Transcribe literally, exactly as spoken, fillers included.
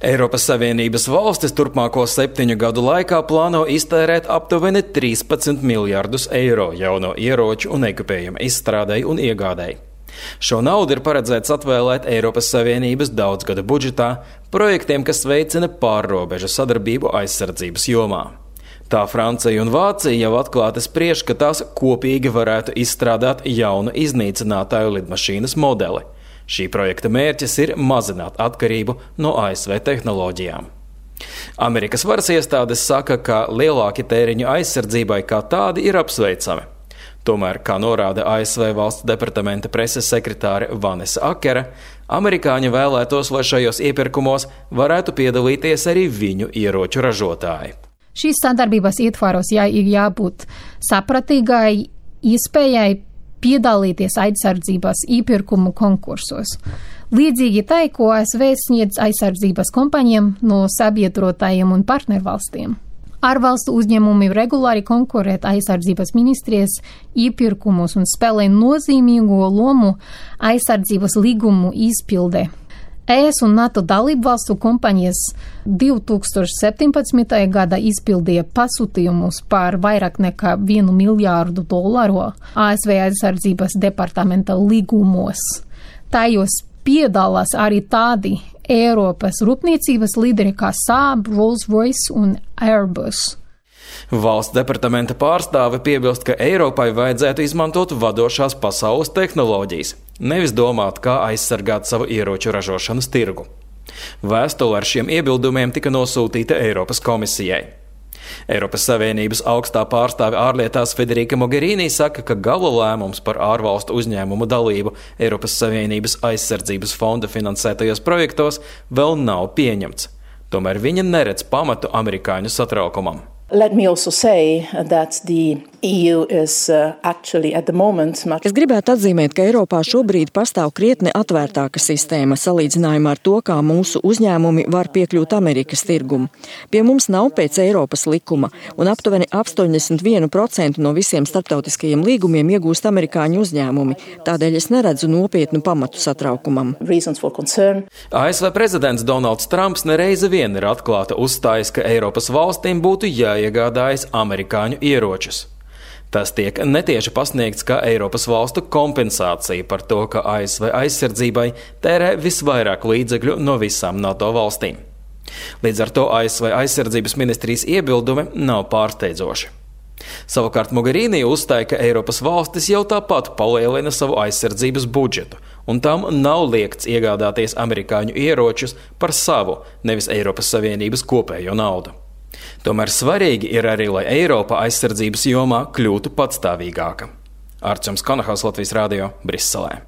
Eiropas Savienības valstis turpmāko septiņu gadu laikā plāno iztērēt aptuveni trīspadsmit miljardus eiro jauno ieroču un ekipējuma izstrādei un iegādei. Šo naudu ir paredzēts atvēlēt Eiropas Savienības daudzgada budžetā projektiem, kas veicina pārrobežu sadarbību aizsardzības jomā. Tā Francija un Vācija jau atklāti spriež, ka tās kopīgi varētu izstrādāt jaunu iznīcinātāju lidmašīnas modeli. Šī projekta mērķis ir mazināt atkarību no A S V tehnoloģijām. Amerikas varas iestādes saka, ka lielāki tēriņu aizsardzībai kā tādi ir apsveicami. Tomēr, kā norāda A S V valsts departamenta preses sekretāre Vanessa Akera, amerikāņi vēlētos, lai šajos iepirkumos varētu piedalīties arī viņu ieroču ražotāji. Šīs sadarbības ietvaros jā, ir jābūt sapratīgai iespējai piedalīties aizsardzības iepirkumu konkursos. Līdzīgi tai, ko A S V sniedz aizsardzības kompānijām no sabiedrotājiem un partnervalstiem. Ārvalstu uzņēmumi regulāri konkurēt aizsardzības ministrijas iepirkumus un spēlē nozīmīgo lomu aizsardzības līgumu izpildē. E S un NATO dalību valstu kompānijas divi tūkstoši septiņpadsmitajā gadā izpildīja pasūtījumus par vairāk nekā vienu miljārdu dolāru A S V aizsardzības departamenta līgumos. Tajos piedalās arī tādi Eiropas rūpniecības līderi kā Saab, Rolls-Royce un Airbus. Valsts departamenta pārstāve piebilst, ka Eiropai vajadzētu izmantot vadošās pasaules tehnoloģijas, nevis domāt, kā aizsargāt savu ieroču ražošanas tirgu. Vēstule ar šiem iebildumiem tika nosūtīta Eiropas komisijai. Eiropas Savienības augstā pārstāve ārlietās Federica Mogherini saka, ka gala lēmums par ārvalstu uzņēmumu dalību Eiropas Savienības aizsardzības fonda finansētajos projektos vēl nav pieņemts. Tomēr viņa neredz pamatu amerikāņu satraukumam. Let me also say that the E U is uh, actually at the moment much... Es gribētu atzīmēt, ka Eiropā šobrīd pastāv krietni atvērtāka sistēma salīdzinājumā ar to, kā mūsu uzņēmumi var piekļūt Amerikas tirgumu. Pie mums nav pēc Eiropas likuma, un aptuveni astoņdesmit viens procents no visiem starptautiskajiem līgumiem iegūst amerikāņu uzņēmumi. Tādēļ es neredzu nopietnu pamatu satraukumam. A S V prezidents Donalds Trumps nereizi vien ir atklāti uzstājis, ka Eiropas valstīm būtu jāiegādājas amerikāņu ieročus. Tas tiek netieši pasniegts kā Eiropas valstu kompensācija par to, ka A S V aizsardzībai tērē visvairāk līdzekļu no visām NATO valstīm. Līdz ar to A S V aizsardzības ministrijas iebildumi nav pārsteidzoši. Savukārt Mogherini uzstāja, ka Eiropas valstis jau tāpat palielina savu aizsardzības budžetu, un tam nav liekts iegādāties amerikāņu ieročus par savu, nevis Eiropas Savienības kopējo naudu. Tomēr svarīgi ir arī, lai Eiropa aizsardzības jomā kļūtu patstāvīgāka. Arčuns Kanahaus, Latvijas radio, Briselē.